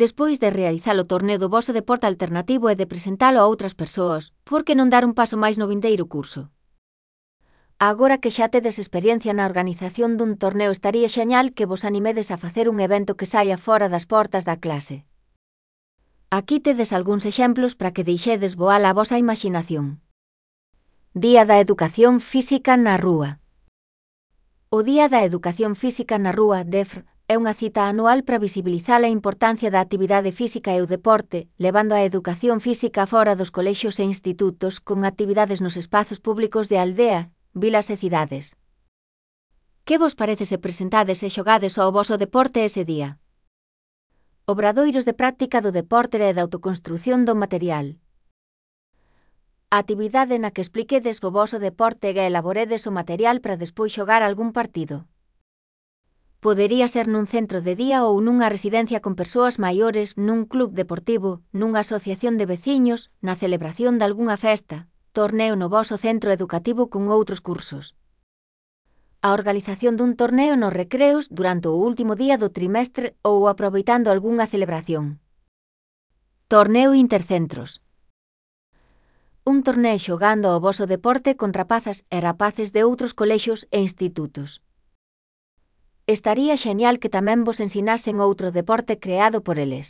Despois de realizar o torneo do voso deporte alternativo e de presentalo a outras persoas, por que non dar un paso máis no vindeiro curso? Agora que xa tedes experiencia na organización dun torneo, estaría xeñal que vos animedes a facer un evento que saia fora das portas da clase. Aquí tedes algúns exemplos para que deixedes voar a vosa imaxinación. Día da Educación Física na Rúa. O Día da Educación Física na Rúa, DEFR, é unha cita anual para visibilizar a importancia da actividade física e o deporte, levando a educación física fora dos colexios e institutos con actividades nos espazos públicos de aldea, vilas e cidades. Que vos parece se presentades e xogades ao voso deporte ese día? Obradoiros de práctica do deporte e da autoconstrución do material. A actividade na que expliquedes o voso deporte e elaboredes o material para despois xogar algún partido. Podería ser nun centro de día ou nunha residencia con persoas maiores, nun club deportivo, nunha asociación de veciños, na celebración de algunha festa, torneo no voso centro educativo con outros cursos. A organización dun torneo nos recreos durante o último día do trimestre ou aproveitando algunha celebración. Torneo intercentros. Un torneo xogando ao voso deporte con rapazas e rapaces de outros colexios e institutos. Estaría xenial que tamén vos ensinasen outro deporte creado por eles.